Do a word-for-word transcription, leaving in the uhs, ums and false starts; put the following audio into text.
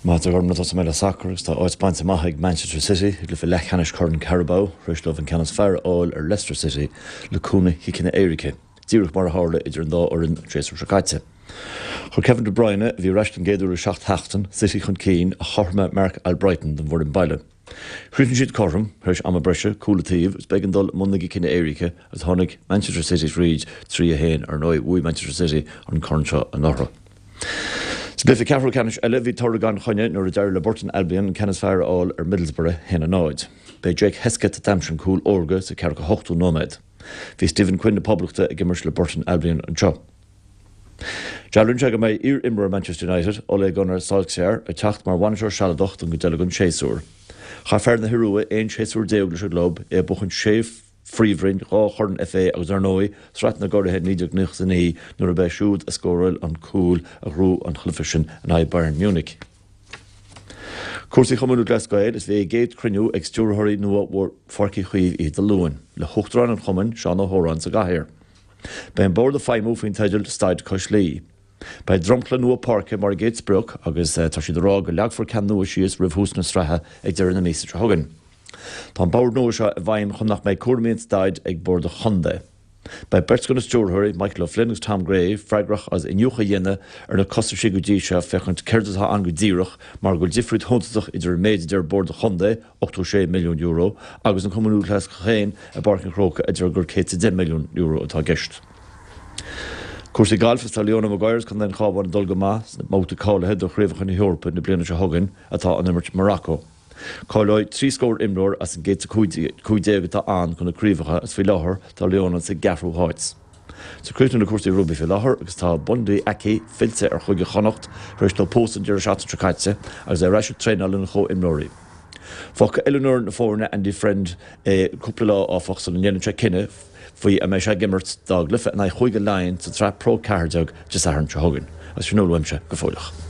Má tá orm tá mé le sacar agus tá áit bainte amach ag Manchester City i gcluiche leathcheannais Chorn Carabao tar éis dóibh an ceann is fearr a fháil ar Leicester City le cúnamh chiceanna éirice, díreach mar a tharla idir an dá fhoireann an séasúr seo caite. Chuir Kevin De Bruyne a bhí ar ais den gcéad uair le seacht seachtain City chun cinn ach chothromaigh Marc Albrighton don bhfoireann baile. Chríochnaigh siad cothrom tar éis ama breise cúl an taobh is b'éigean dul i mbun na gciceanna éirice agus tháinig Manchester City fríd trí a haon ar ndóigh bhuaigh Manchester City an corn seo anuraidh. Sa gcluiche ceathrú ceannais eile bhí toradh gan choinne nuair a d'éirigh le Burton Albion an ceann is fearr a fháil ar Middlesbrough haon a náid. B'é Jake Hesketh a d'aimsigh an cúl órga sa ceathracha hochtú nóiméad. Bhí Stephen Quinn na Poblachta ag imirt le Burton Albion anseo. Dealraíonn sé go mbeidh iar-imreoir Manchester United Ole Gunnar Solskjaer ag teacht mar bhainisteoir sealadach don gcuid eile den séasúr. Chaith fear na hIorua aon séasúr déag leis an gclub é ag buachan sé phríomhroinn dhá chorn FA agus ar ndóigh Sraith na gCuradh naoi déag nócha a naoi nuair a b'é siúd a scóráil an cúl a ghnóthaigh an cluiche sin in aghaidh Bayern Munich. Cúrsaí Chumann Lúthchleas Gael is bhí a gcéad chruinniú ag stiúrthóirí nua Pháirc Uí Chaoimh oíche Dé Luain, le huachtarán an chumainn Seán Ó hÓráin sa gcathaoir. Beidh an bord ag feidhmiú faoin teideal Staid Cois Laoi. Beidh dromchla nua páirce mar an gcéad sprioc agus tá siad ag rá go leagfar ceann nua síos roimh thús na sraithe ag deireadh na míosa seo chugainn. Tá an bord nua seo i bhfeidhm chun nach mbeidh cúraimí an staid ag bord an chontae. Beidh beirt de na stiúrthóirí Michael O'Flynn agus Tom Gray freagrach as iniúchadh a dhéanamh ar na costaisí go dtí seo féachaint céard atá ann go díreach mar go bhfuil difríocht shuntasach idir an méid a deir bord an chontae ochtó sé milliún euro agus an Cumann Lúthchleas féin i bPáirc an Chrócaigh a deir gur céad is deich milliún euro atá i gceist. Cúrsaí gailf is tá Leona Maguire as Contae an Chabháin ag dul go maith sna babhtaí cáilithe do Chraobhacha na hEorpa na bliana seo chugainn atá á n-imirt i Morocco. Cáileoidh trí scór imreoir as an gcéad cúig déag atá ann chun na craobhacha is faoi láthair tá Leona sa gceathrú háit. Sa críochnú na cúrsaí rugbaí faoi láthair agus tá Bundee Aki fillte ar Chúige Chonnacht tar éis dó pósadh an deireadh seachtaine seo caite agus é ar ais ag traenáil lena chomhimreoirí. Fágfaidh oiliúnóir na foirne Andy Friend é cúpla lá áfach sula ndéanann sé cinneadh faoi an mbeidh sé ag imirt dá gcluiche in aghaidh Chúige Laighean sa tsraith Pro ceathair déag Dé Sathairn seo chugainn. Agus sin uaimse go fóilleach.